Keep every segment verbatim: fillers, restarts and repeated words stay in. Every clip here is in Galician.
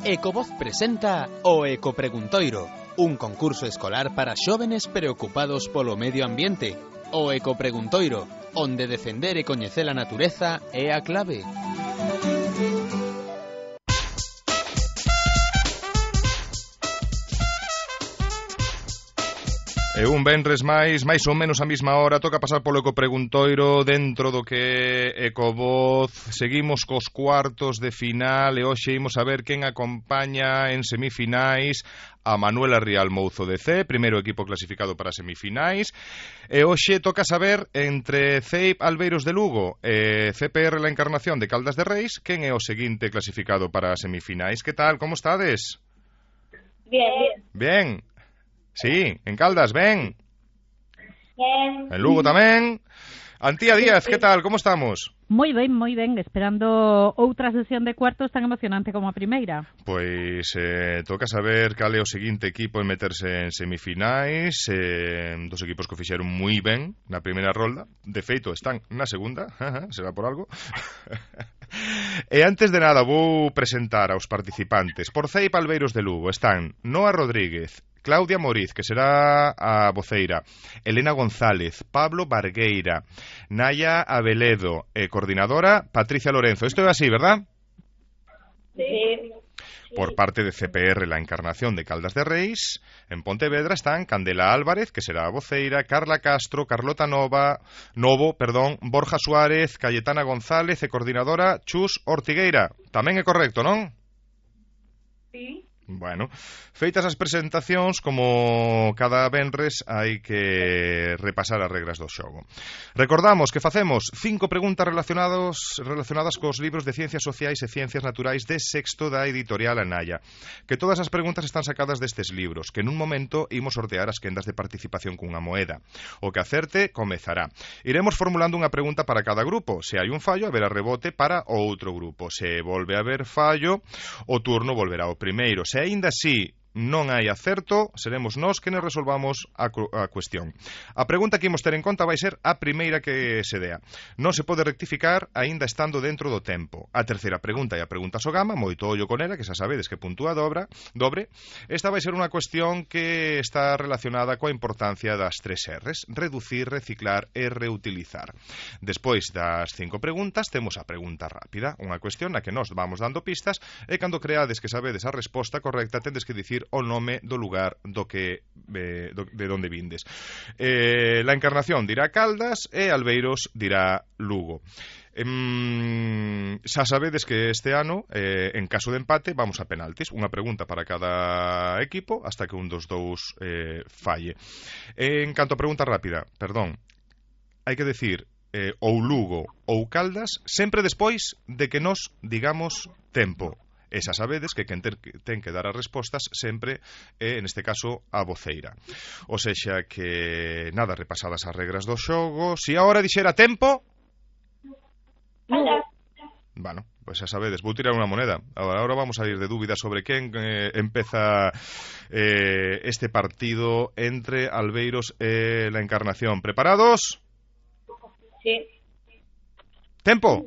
Ecovoz presenta o Ecopreguntoiro, un concurso escolar para xóvenes preocupados polo medio ambiente. O Ecopreguntoiro, onde defender e coñecer a natureza é a clave. E un venres máis, máis ou menos a mesma hora, toca pasar polo Ecopreguntoiro dentro do que é Ecovoz. Seguimos cos cuartos de final e hoxe imos a ver quen acompaña en semifinais a Manuela Rial Mouzo de C, primeiro equipo clasificado para semifinais. E hoxe toca saber entre C E I P Albeiros de Lugo e C P R La Encarnación de Caldas de Reis quen é o seguinte clasificado para semifinais. Que tal, como estades? Bien. Bien. Sí, en Caldas, ben. Bien. En Lugo tamén. Antía Díaz, que tal, como estamos? Moi ben, moi ben, esperando outra sesión de cuartos tan emocionante como a primeira. Pois eh, toca saber cal é o seguinte equipo en meterse en semifinais. eh, Dos equipos que o fixeron moi ben na primeira rolda. De feito, están na segunda. Será por algo. E antes de nada vou presentar aos participantes. Por C E I P Albeiros de Lugo están Noa Rodríguez, Claudia Moriz, que será a voceira, Elena González, Pablo Bargueira, Naya Abeledo e coordinadora Patricia Lorenzo. Isto é así, verdad? Sí. Por parte de C P R La Encarnación de Caldas de Reis, en Pontevedra están Candela Álvarez, que será a voceira, Carla Castro, Carlota Nova, Novo, perdón, Borja Suárez, Cayetana González e coordinadora Chus Ortigueira. Tamén é correcto, non? Sí. Bueno, feitas as presentacións, como cada venres hai que repasar as regras do xogo. Recordamos que facemos cinco preguntas relacionados, relacionadas cos libros de Ciencias Sociais e Ciencias Naturais de sexto da editorial Anaya. Que todas as preguntas están sacadas destes libros, que nun momento imos sortear as quendas de participación cunha moeda. O que acerte comezará. Iremos formulando unha pregunta para cada grupo. Se hai un fallo, haberá rebote para o outro grupo. Se volve a haber fallo, o turno volverá ao primeiro. Se aínda así non hai acerto, seremos nós que nos resolvamos a, a cuestión. A pregunta que imos ter en conta vai ser a primeira que se dea. Non se pode rectificar aínda estando dentro do tempo. A terceira pregunta é a pregunta Sogama, moito ollo con ela, que xa sabedes que puntúa dobra, dobre. Esta vai ser unha cuestión que está relacionada coa importancia das tres R's: reducir, reciclar e reutilizar. Despois das cinco preguntas temos a pregunta rápida, unha cuestión na que nós vamos dando pistas e cando creades que sabedes a resposta correcta tendes que dicir o nome do lugar do que eh, do, de onde vindes. Eh, la Encarnación dirá Caldas e Albeiros dirá Lugo. Eh, xa sabedes que este ano, eh, en caso de empate, vamos a penaltis. Unha pregunta para cada equipo hasta que un dos dous eh, falle. En canto a pregunta rápida, perdón, hai que decir eh, ou Lugo ou Caldas sempre despois de que nos digamos tempo. E xa sabedes que quen ten que dar as respostas sempre é, neste caso, a voceira. O sexa que, nada, repasadas as regras do xogo. Si agora dixera tempo... Hola. Bueno, pois xa sabedes, vou tirar unha moneda. Agora, agora vamos a ir de dúbidas sobre quen eh, empeza eh, este partido entre Albeiros e La Encarnación. Preparados? Sí. Tempo.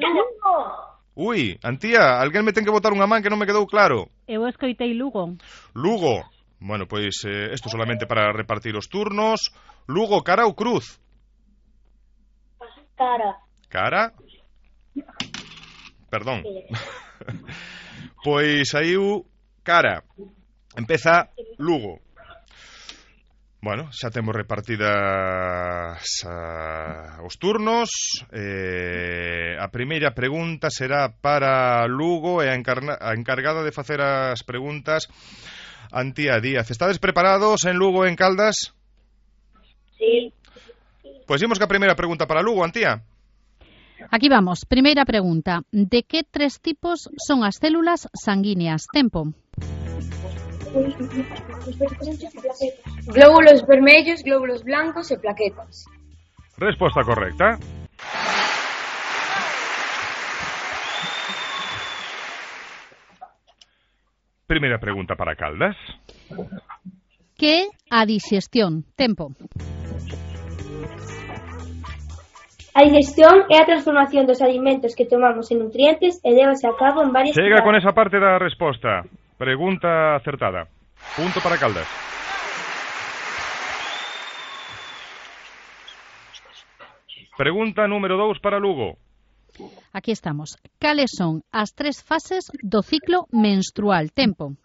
Lugo. Ui, Antía, alguén me ten que botar unha man que non me quedou claro. Eu escoitei Lugo. Lugo. Bueno, pois eh, isto solamente para repartir os turnos. Lugo, cara ou cruz? Cara. Cara? Perdón. Pois aí o cara. Empeza Lugo. Bueno, xa temos repartidas uh, os turnos. eh, A primeira pregunta será para Lugo e a, encarna, a encargada de facer as preguntas, Antía Díaz. Estades preparados en Lugo e en Caldas? Sí. Pois imos que a primeira pregunta para Lugo, Antía. Aquí vamos, primeira pregunta. De que tres tipos son as células sanguíneas? Tempo. Glóbulos vermellos, glóbulos blancos e plaquetas. Resposta correcta. Primeira pregunta para Caldas. Que a dixestión? Tempo. A digestión é a transformación dos alimentos que tomamos en nutrientes e lévase a cabo en varias Chega con etapas. esa parte da resposta. Pregunta acertada. Punto para Caldas. Pregunta número dous para Lugo. Aquí estamos. Cales son as tres fases do ciclo menstrual? Tempo.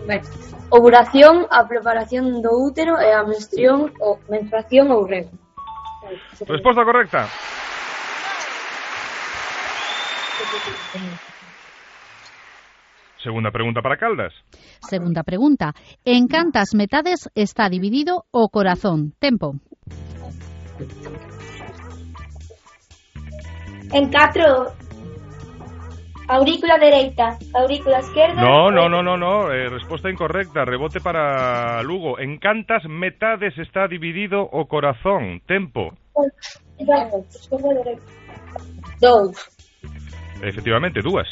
Ben, ovulación, a preparación do útero e a menstruación ou menstruación ou rego. Resposta correcta. Segunda pregunta para Caldas. Segunda pregunta. En cantas metades está dividido o corazón? Tempo. En catro, aurícula dereita, aurícula esquerda... No, no, no, no, no. Eh, resposta incorrecta. Rebote para Lugo. En cantas metades está dividido o corazón? Tempo. Dous. Efectivamente, dúas.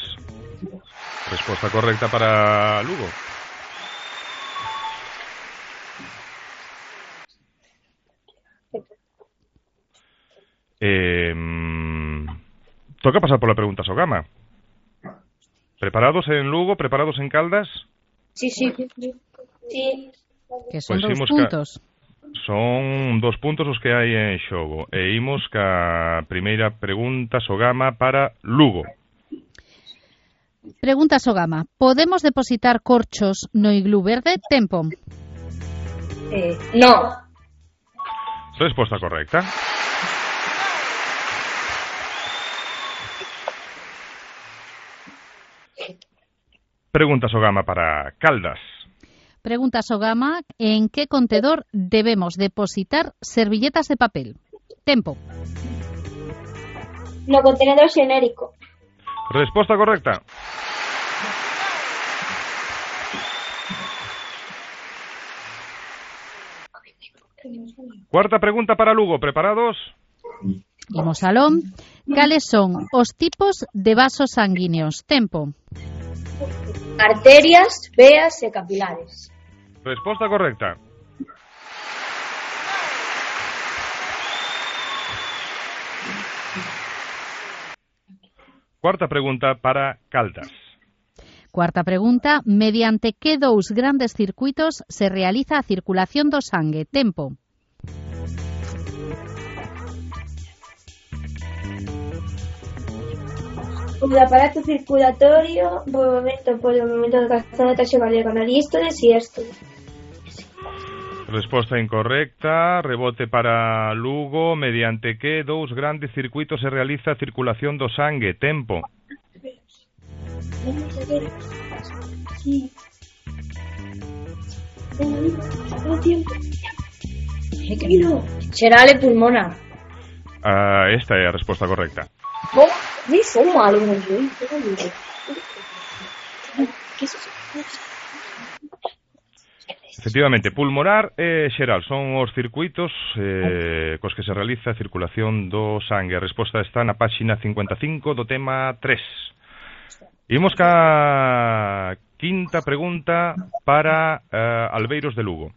Resposta correcta para Lugo. Eh, toca pasar por la pregunta Sogama. ¿Preparados en Lugo? ¿Preparados en Caldas? Sí, sí. Sí. Que son Pois dous imos ca- puntos. Son dos puntos os que hai en xogo. E imos ca primeira pregunta Sogama para Lugo. Pregunta Sogama. Podemos depositar corchos no iglú verde? Tempo. Eh, no. Resposta correcta. Pregunta Sogama para Caldas. Pregunta Sogama. ¿En qué contedor debemos depositar servilletas de papel? Tempo. No contenedor xenérico. Resposta correcta. Cuarta pregunta para Lugo. ¿Preparados? Imos aló. Cales son os tipos de vasos sanguíneos? Tempo. Arterias, veas e capilares. Resposta correcta. Cuarta pregunta para Caldas. Cuarta pregunta. Mediante que dous grandes circuitos se realiza a circulación do sangue? Tempo. O aparato circulatorio, movimento polo movimento do corazón da taxa cardíaca na dístole e sístole. Resposta incorrecta. Rebote para Lugo. Mediante que dous grandes circuitos se realiza a circulación do sangue? Tempo. Sí. Xeral e pulmonar. Ah, esta é a resposta correcta. Bom, ni son malo, non sei. Efectivamente, pulmonar e xeral son os circuitos eh, cos que se realiza a circulación do sangue. A resposta está na páxina cincuenta e cinco do tema tres. Imos ca quinta pregunta para eh, Albeiros de Lugo.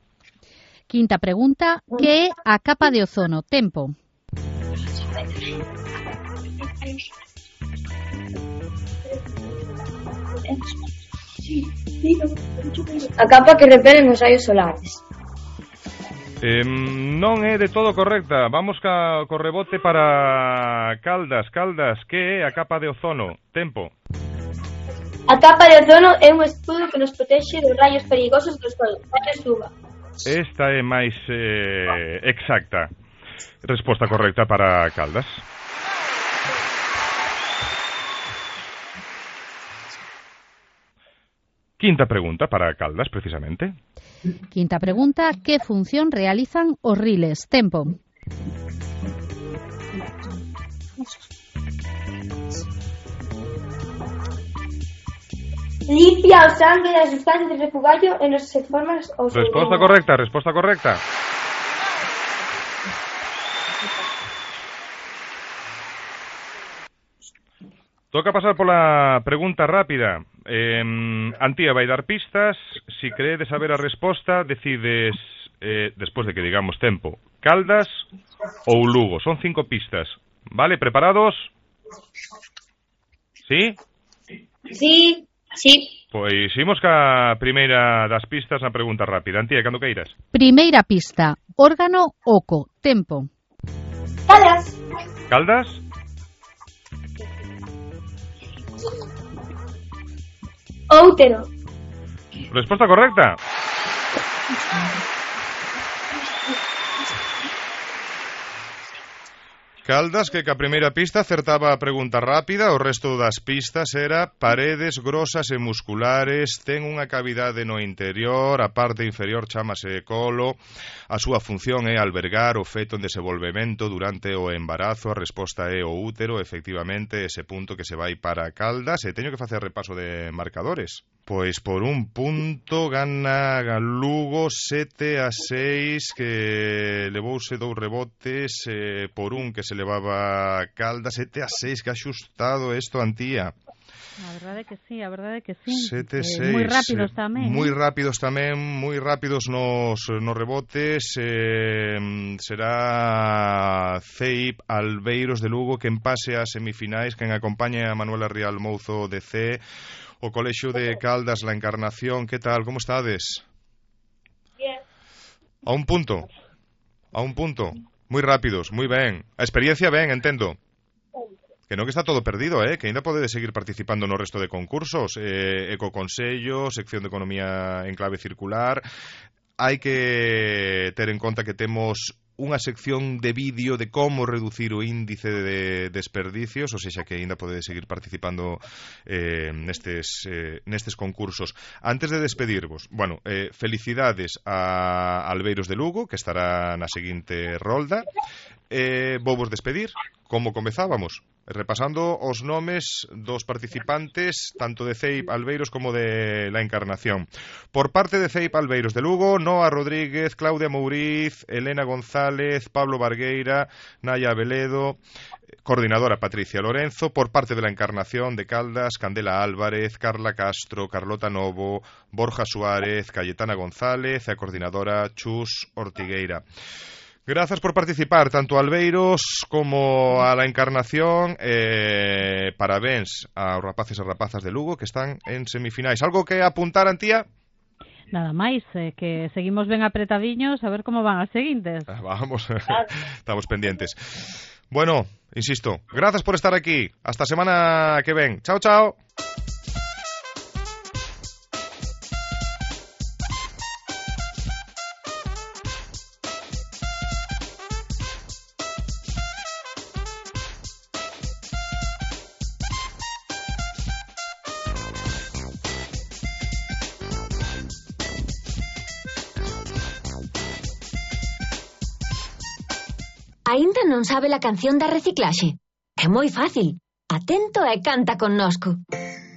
Quinta pregunta. Que é a capa de ozono? Tempo. A capa que repelen os raios solares. Eh, non é de todo correcta. Vamos ca, co rebote para Caldas. Caldas, que é a capa de ozono? Tempo. A capa de ozono é un escudo que nos protexe dos rayos perigosos do sol, rayos U V A. Esta é máis eh, exacta. Resposta correcta para Caldas. Quinta pregunta para Caldas, precisamente. Quinta pregunta. Que función realizan os riles? Tempo. Limpia o sangue das sustancias de refugallo e nos se forman os... Resposta correcta, resposta correcta. Toca pasar pola pregunta rápida. Eh, Antía vai dar pistas. Si creedes saber a resposta, decides eh, despois de que digamos tempo, Caldas ou Lugo. Son cinco pistas. Vale, preparados? Sí? Sí, sí. Pois imos ca primeira das pistas na pregunta rápida. Antía, cando queiras. Primeira pista, órgano oco, tempo. Caldas. Caldas? Útero. Resposta correcta. Caldas, que ca primeira pista acertaba a pregunta rápida, o resto das pistas era paredes grosas e musculares, ten unha cavidade no interior, a parte inferior chámase colo, a súa función é albergar o feto en desenvolvemento durante o embarazo, a resposta é o útero, efectivamente, ese punto que se vai para Caldas, e teño que facer repaso de marcadores. Pois por un punto gana Lugo sete a seis, que levouse dous rebotes, eh, por un que se levaba Caldas, sete a seis, que axustado isto, Antía. A verdade que sí, a verdade que sí. sete a seis. Eh, moi rápidos tamén. Moi eh? rápidos tamén, moi rápidos nos, nos rebotes. Eh, será C I P Albeiros de Lugo que empase as semifinais, quen acompaña a Manuela Rial Mouzo de C, o Colexio de Caldas, La Encarnación. Que tal, como estades? Bien. A un punto. A un punto. Moi rápidos, moi ben. A experiencia ben, entendo. Que non que está todo perdido, eh? Que ainda podedes seguir participando no resto de concursos. Eh, Ecoconsello, sección de Economía en clave circular. Hai que ter en conta que temos unha sección de vídeo de como reducir o índice de desperdicios, ou seja que ainda podedes seguir participando eh, nestes, eh, nestes concursos. Antes de despedirvos, bueno, eh, felicidades a Albeiros de Lugo, que estará na seguinte rolda. Eh, vou vos despedir, como comezábamos, repasando os nomes dos participantes tanto de C I P Albeiros como de La Encarnación. Por parte de C I P Albeiros de Lugo, Noa Rodríguez, Claudia Mouriz, Elena González, Pablo Bargueira, Naya Veledo, coordinadora Patricia Lorenzo. Por parte de La Encarnación de Caldas, Candela Álvarez, Carla Castro, Carlota Novo, Borja Suárez, Cayetana González e a coordinadora Chus Ortigueira. Grazas por participar, tanto a Albeiros como a La Encarnación. Eh, parabéns aos rapaces e rapazas de Lugo que están en semifinais. Algo que apuntar, Antía? Nada máis, eh, que seguimos ben apretadiños, a ver como van as seguintes. Ah, vamos, estamos pendientes. Bueno, insisto, grazas por estar aquí. Hasta a semana que ven. Chao, chao. Aínda non sabe a canción da reciclaxe? É moi fácil. Atento e canta connosco.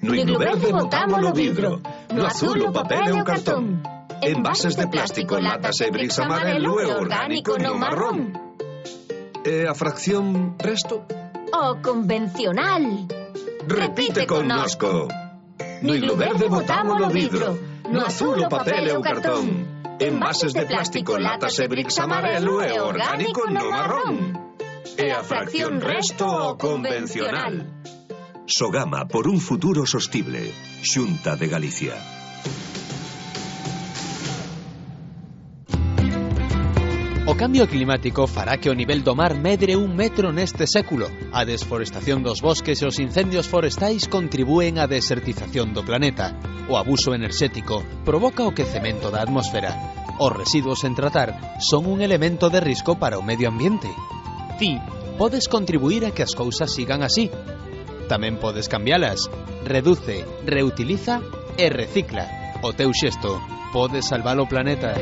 No himno verde botamos o vidro, no azul o papel e o cartón. Envases de plástico, latas e bricks amarelo e orgánico no marrón. E a fracción resto? O convencional. Repite connosco. No himno verde botamos o vidro, no azul o papel e o cartón. Envases de plástico, latas e bricks amarelo e orgánico no marrón. E a fracción resto o convencional. Sogama por un futuro sostible. Xunta de Galicia. O cambio climático fará que o nivel do mar medre un metro neste século. A desforestación dos bosques e os incendios forestais contribúen á desertización do planeta. O abuso enerxético provoca o quecemento da atmosfera. Os residuos sen tratar son un elemento de risco para o medio ambiente. Ti podes contribuir a que as cousas sigan así. Tamén podes cambialas. Reduce, reutiliza e recicla. O teu xesto pode salvar o planeta.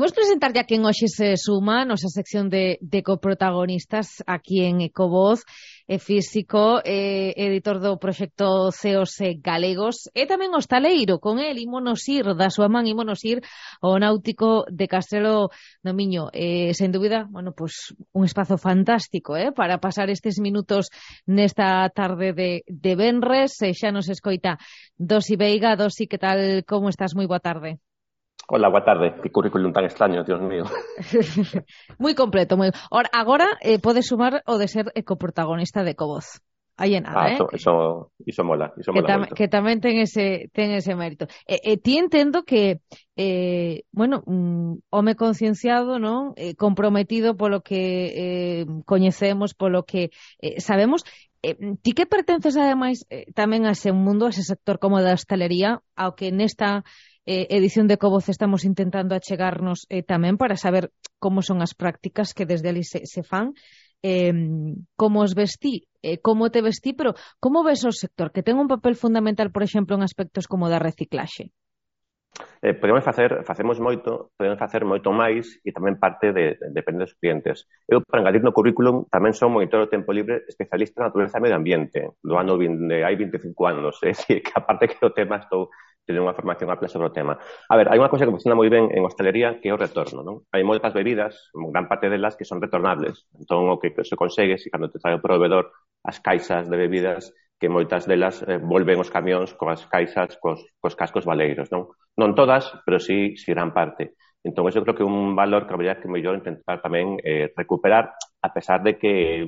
Vamos presentar ya quen hoxe se suma a nosa sección de, de coprotagonistas aquí en Ecovoz, é físico, é editor do proxecto C E Os Galegos e tamén hostaleiro. Con el ímonos ir, da súa man ímonos ir ao náutico de Castrelo do Miño. Eh, sen dúbida, bueno, pues un espazo fantástico eh, para pasar estes minutos nesta tarde de, de venres. E xa nos escoita Dosi Veiga. Dosi, que tal, como estás? Moi boa tarde. Hola, boa tarde. Que currículum tan extraño, Dios mío. Moi completo, moi. Ora, agora eh, podes sumar o de ser ecoprotagonista de Ecovoz. Aí é nada, ah, eh? Eso, eso, iso mola, iso que, mola tam, moito. que tamén ten ese, ten ese mérito. E, e ti entendo que, eh, bueno, un home concienciado, non? Eh, comprometido polo que eh, coñecemos, polo que eh, sabemos. Eh, ti que pertences, ademais, eh, tamén a ese mundo, a ese sector como da hostalería, ao que nesta eh, edición de Ecovoz estamos intentando achegarnos eh, tamén para saber como son as prácticas que desde ali se, se fan, eh, como os vestí, eh, como te vestí, pero como ves o sector, que ten un papel fundamental, por exemplo, en aspectos como da reciclaxe? Eh, podemos facer, facemos moito, podemos facer moito máis e tamén parte de, de depende dos clientes. Eu, para engadir no currículum, tamén son monitor do tempo libre especialista en natureza e medio ambiente, do ano vinte, hai vinte e cinco anos, é dicir, que aparte que o tema estou teño unha formación ampla sobre o tema. A ver, hai unha cousa que funciona moi ben en hostelería que é o retorno, non? Hai moitas bebidas, gran parte delas que son retornables. Entón, o que se consegue, se cando te trae o proveedor as caixas de bebidas, que moitas delas eh, volven os camións coas caixas, cos, cos cascos valeiros, non? Non todas, pero sí, sí gran parte. Entón, eu creo que un valor que habría que mellor intentar tamén eh, recuperar, a pesar de que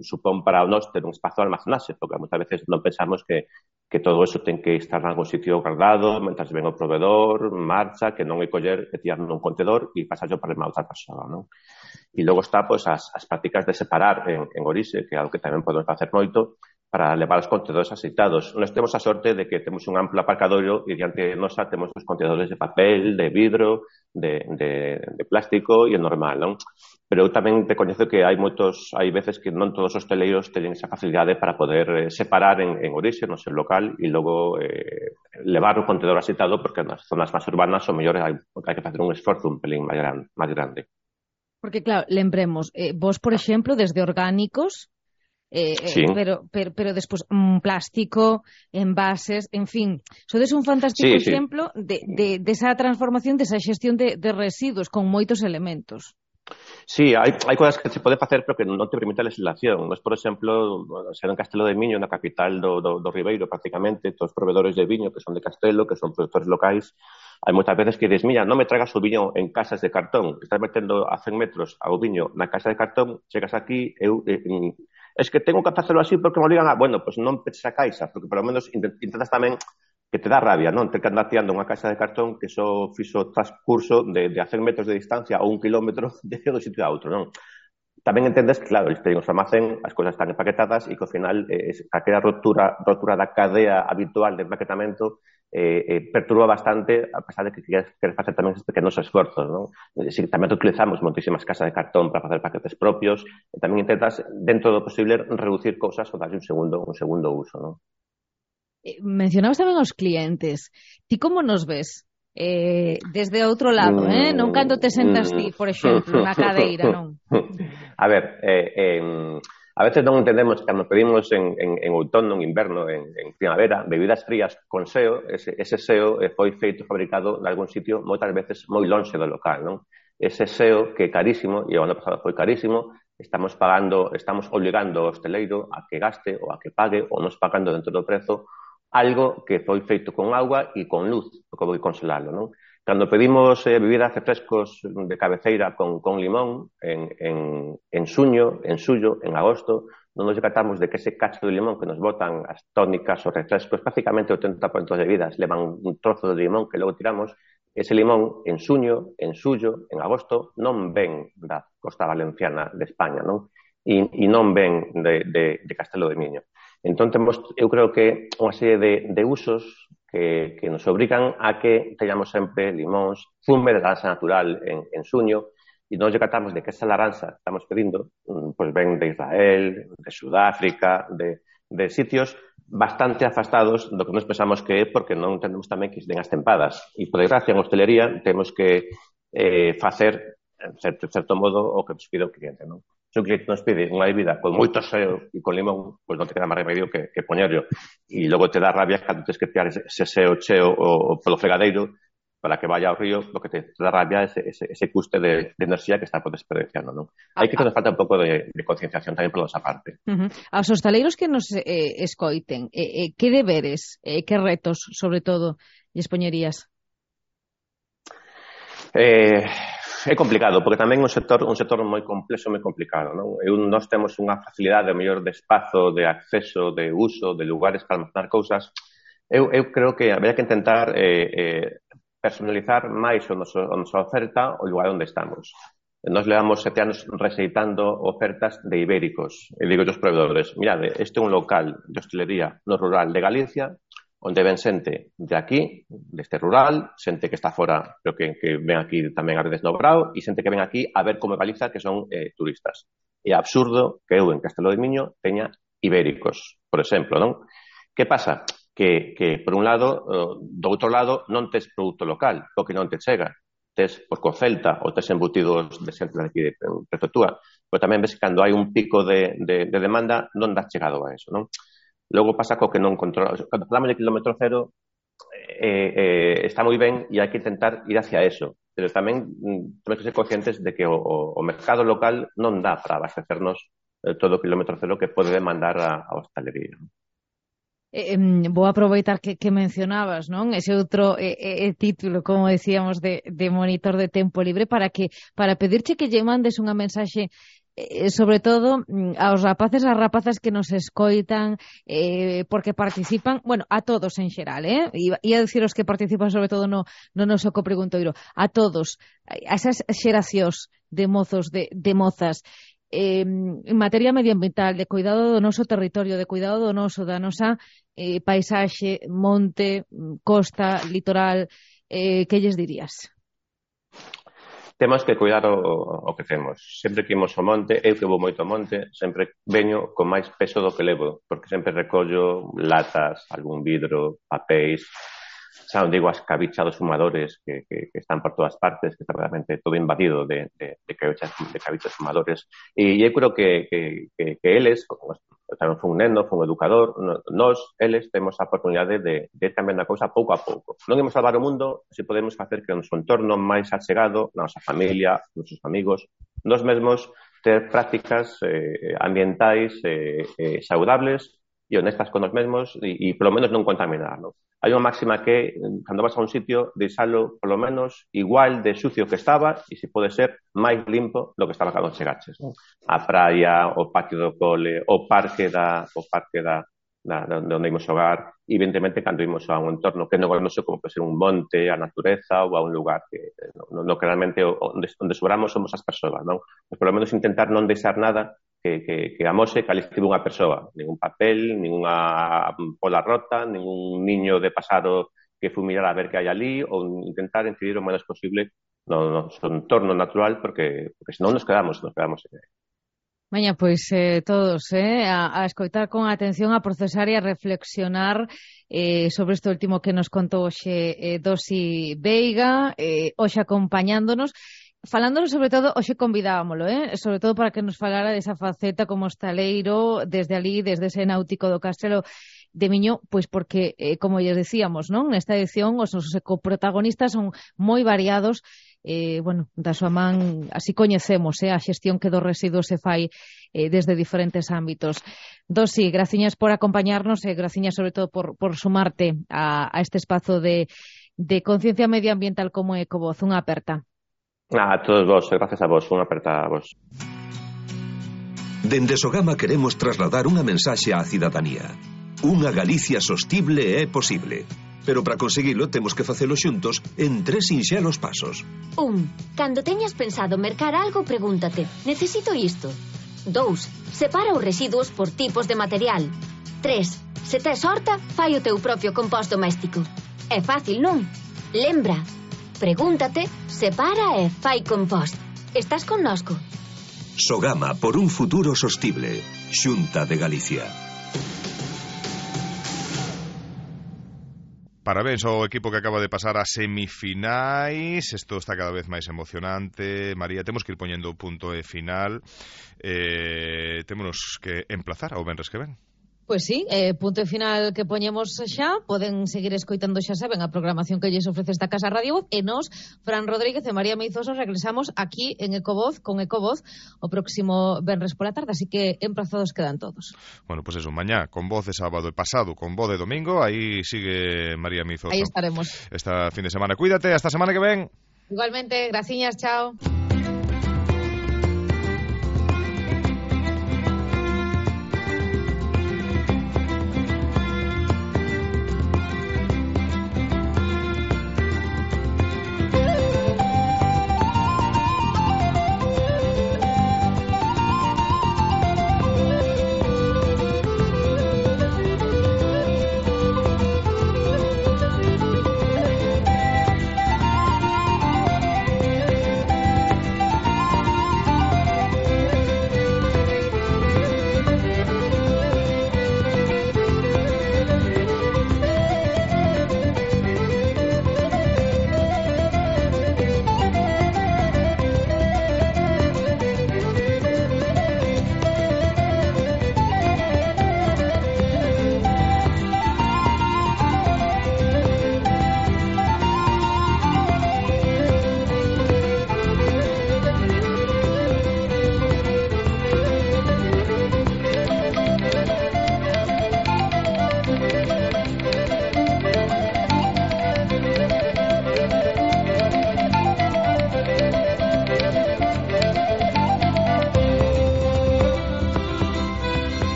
supón para nós ter un espazo de almacenaxe, porque moitas veces non pensamos que, que todo eso ten que estar en algún sitio guardado, mentras ven o proveedor, marcha, que non é coller e tirar nun contedor e pasar yo para a outra persoa, non? E logo está, pois, as, as prácticas de separar en, en orixe, que é algo que tamén podemos facer moito, para levar os contedores aceitados. Nós temos a sorte de que temos un amplo aparcadoiro e diante de nosa temos os contedores de papel, de vidro, de, de, de plástico e o normal, non? Pero eu tamén recoñezo que hai moitos, hai veces que non todos os hoteleiros teñen esa facilidade para poder eh, separar en, en orixe, no seu local, e logo eh, levar o contedor aceitado, porque nas zonas máis urbanas o mellor hai, hai que facer un esforzo un pelín máis grande. Máis grande. Porque, claro, lembremos, eh, vos, por exemplo, desde orgánicos, Eh, sí. eh, pero, pero, pero despois un plástico, envases, en fin, sodes un fantástico sí, exemplo sí. de, de, de esa transformación, de esa xestión de, de residuos con moitos elementos. Sí, hai, hai cousas que se pode facer pero que non te permite a legislación. Nós, por exemplo, ser en Castelo de Miño, na capital do, do, do Ribeiro, prácticamente, todos os proveedores de viño que son de Castelo, que son produtores locais, hai moitas veces que dices, mira, non me tragas o viño en casas de cartón, estás metendo a cen metros ao viño na casa de cartón, chegas aquí, eu... Eh, es que tengo que hacerlo así porque me obligan a... Bueno, pues non peches a caixa, porque polo menos intentas tamén que te dá rabia, non? Ter que andar tirando unha caixa de cartón que só fixo transcurso de, de a cen metros de distancia ou un kilómetro de un sitio a outro, non? Tamén entendes que, claro, eles teñen o almacén, as cousas están empaquetadas e que ao final eh, aquela rotura, rotura da cadea habitual de empaquetamento eh, eh, perturba bastante, a pesar de que queres, queres facer tamén estes pequenos esforzos, non? Si, tamén utilizamos moitísimas casas de cartón para facer paquetes propios, e tamén intentas, dentro do posible, reducir cousas ou darlle un segundo, un segundo uso, non? Eh, mencionabas tamén os clientes. Ti como nos ves? Eh, desde outro lado, eh? Non cando te sentas ti, por exemplo, na cadeira, non? A ver, eh, eh, a veces non entendemos que cando pedimos en, en, en outono, en inverno, en, en primavera, bebidas frías con seo, ese, ese seo foi feito, fabricado en algún sitio, moitas veces moi lonxe do local, non? Ese seo que é carísimo, e o ano pasado foi carísimo, estamos pagando, estamos obligando ao hosteleiro a que gaste ou a que pague ou nos pagando dentro do prezo algo que foi feito con agua e con luz, porque vou consolalo, non? Cando pedimos eh, bebidas refrescos de cabeceira con, con limón en, en, en suño, en suyo, en agosto, non nos decatamos de que ese cacho de limón que nos botan as tónicas ou refrescos, prácticamente o oitenta por ciento das bebidas levan un trozo de limón que logo tiramos, ese limón en suño, en suyo, en agosto, non ven da costa valenciana de España, non? E, e non ven de, de, de Castelo de Miño. Entón, temos, eu creo que unha serie de, de usos que, que nos obrigan a que teñamos sempre limóns, zume de laranxa natural en, en suño, e nos decatamos de que esa laranxa que estamos pedindo, pues ven de Israel, de Sudáfrica, de, de sitios bastante afastados do que nos pensamos que é, porque non entendemos tamén que den as tempadas. E, por desgracia, en hostelería temos que eh, facer, en certo, certo modo, o que nos pide o cliente, non? Se un cliente nos pide unha bebida con moito seo e con limón, pois non te queda máis remedio que, que poñerlo. E logo te dá rabia cando tens que tirar ese, ese seo cheo o, o polo fregadeiro para que vaya ao río, lo que te, te dá rabia ese, ese, ese custe de, de enerxía que está por desperdiciando, non? Hai que nos falta un pouco de, de concienciación tamén por nosa parte. Uh-huh. Aos hostaleiros que nos eh, escoiten, eh, eh, que deberes, eh, que retos, sobre todo, lles poñerías? Eh, é complicado, porque tamén é un sector, un sector moi complexo, moi complicado, non? E un, nós temos unha facilidade, o mellor, de espazo, de acceso, de uso, de lugares para almacenar cousas. Eu, eu creo que habería que intentar eh, eh, personalizar máis o noso, a nosa oferta o lugar onde estamos. Nos levamos sete anos receitando ofertas de ibéricos. E digo aos proveedores, mirade, este é un local de hostelería no rural de Galicia, onde ven xente de aquí, deste rural, xente que está fora, pero que, que ven aquí tamén a veces no Brao, e xente que ven aquí a ver como Galiza, que son eh, turistas. É absurdo que eu en Castelo de Miño teña ibéricos, por exemplo, non? Que pasa? Que, que por un lado, do outro lado, non tes produto local, porque non te chega. Tes por co Celta ou tes embutidos de xente de aquí de prefectura, pero tamén ves que cando hai un pico de, de, de demanda non dá chegado a eso, non? Logo pasa co que non controla. Cando falamos de kilómetro cero, eh, eh, está moi ben e hai que intentar ir hacia eso, pero tamén mm, temos que ser conscientes de que o, o, o mercado local non dá para abastecernos eh, todo o kilómetro cero que pode demandar a, a hostalería. Eh, vou aproveitar que, que mencionabas, non? Ese outro eh, eh, título, como decíamos, de, de monitor de tempo libre para que para pedirche que lle mandes unha mensaxe eh, sobre todo aos rapaces e as rapazas que nos escoitan eh, porque participan, bueno, a todos en xeral, eh? E a dicir os que participan sobre todo no, no noso copreguntoiro, a todos, a esas xeracións de mozos, de, de mozas, Eh, en materia medioambiental, de cuidado do noso territorio, de cuidado do noso, da nosa eh, paisaxe, monte, costa, litoral, eh, que lles dirías? Temos que cuidar o, o que temos. Sempre que imos ao monte, eu que vou moito ao monte, sempre veño con máis peso do que levo, porque sempre recollo latas, algún vidro, papéis, xa non digo as cabichas dos fumadores que, que, que están por todas partes, que está realmente todo invadido de, de, de, cabichas, de cabichas fumadores. E eu creo que, que, que, que eles, tamén foi un neno, foi un educador, nós, eles, temos a oportunidade de, de ir cambiando a cousa pouco a pouco. Non imos salvar o mundo se podemos facer que o noso entorno máis achegado, na nosa familia, nosos amigos, nós mesmos ter prácticas eh, ambientais eh, eh, saudables e honestas con nos mesmos e, e polo menos non contaminar, non? Hai unha máxima que, cando vas a un sitio, deixalo polo menos igual de sucio que estaba e, se pode ser, máis limpo do que estaba cando chegaches, non? A praia, o patio do cole, o parque da, o parque da, da, da onde imos xogar, e, evidentemente, cando imos a un entorno que non é noso, como pode ser un monte, a natureza ou a un lugar que, no, no que realmente onde, onde sobramos somos as persoas, non? Pues, polo menos, intentar non deixar nada que, que, que amose que ali estive unha persoa, ningún papel, ninguna pola rota, ningún niño de pasado que fumirar a ver que hai ali, ou intentar incidir o menos posible no, no noso entorno natural, porque, porque senón nos quedamos, nos quedamos en... Maña, pois eh, todos eh, a, a escoitar con atención, a procesar e a reflexionar eh, sobre este último que nos contou hoxe eh, Dosi Veiga, eh, hoxe acompañándonos. Falándonos, sobre todo, hoxe convidábamolo, eh? sobre todo para que nos falara desa faceta como hostaleiro, desde ali, desde ese náutico do Castelo de Miño, pois porque, eh, como lles decíamos, non? Nesta edición, os nosos coprotagonistas son moi variados, eh, bueno, da súa man, así coñecemos, eh, a xestión que dos residuos se fai eh, desde diferentes ámbitos. Dosi, graciñas por acompañarnos e graciñas, sobre todo, por, por sumarte a, a este espazo de, de conciencia medioambiental como Ecovoz. Unha aperta. A todos vos, gracias a vos, unha aperta a vos. Dende Sogama queremos trasladar unha mensaxe á cidadanía. Unha Galicia sostible é posible. Pero para conseguilo temos que facelo xuntos en tres sinxelos pasos. Un, cando teñas pensado mercar algo, pregúntate, necesito isto? Dous, separa os residuos por tipos de material. Tres, se tes horta, fai o teu propio compost doméstico. É fácil, non? Lembra, pregúntate, separa e fai compost. Estás connosco? Sogama por un futuro sostible. Xunta de Galicia. Parabéns ao equipo que acaba de pasar a semifinais. Isto está cada vez máis emocionante. María, temos que ir poñendo o punto e final. Eh, témonos que emplazar ao venres que ven. Pois sí, eh, punto e final que poñemos xa. Poden seguir escoitando, xa saben, a programación que lles ofrece esta Casa Radio Voz. E nos, Fran Rodríguez e María Meizoso, regresamos aquí en Ecovoz, con Ecovoz, o próximo venres pola tarde. Así que emplazados quedan todos. Bueno, pues eso, mañá con voz de sábado e pasado con voz de domingo. Aí sigue María Meizoso. Aí estaremos. Esta fin de semana. Cuídate, hasta semana que ven. Igualmente, graciñas, chao.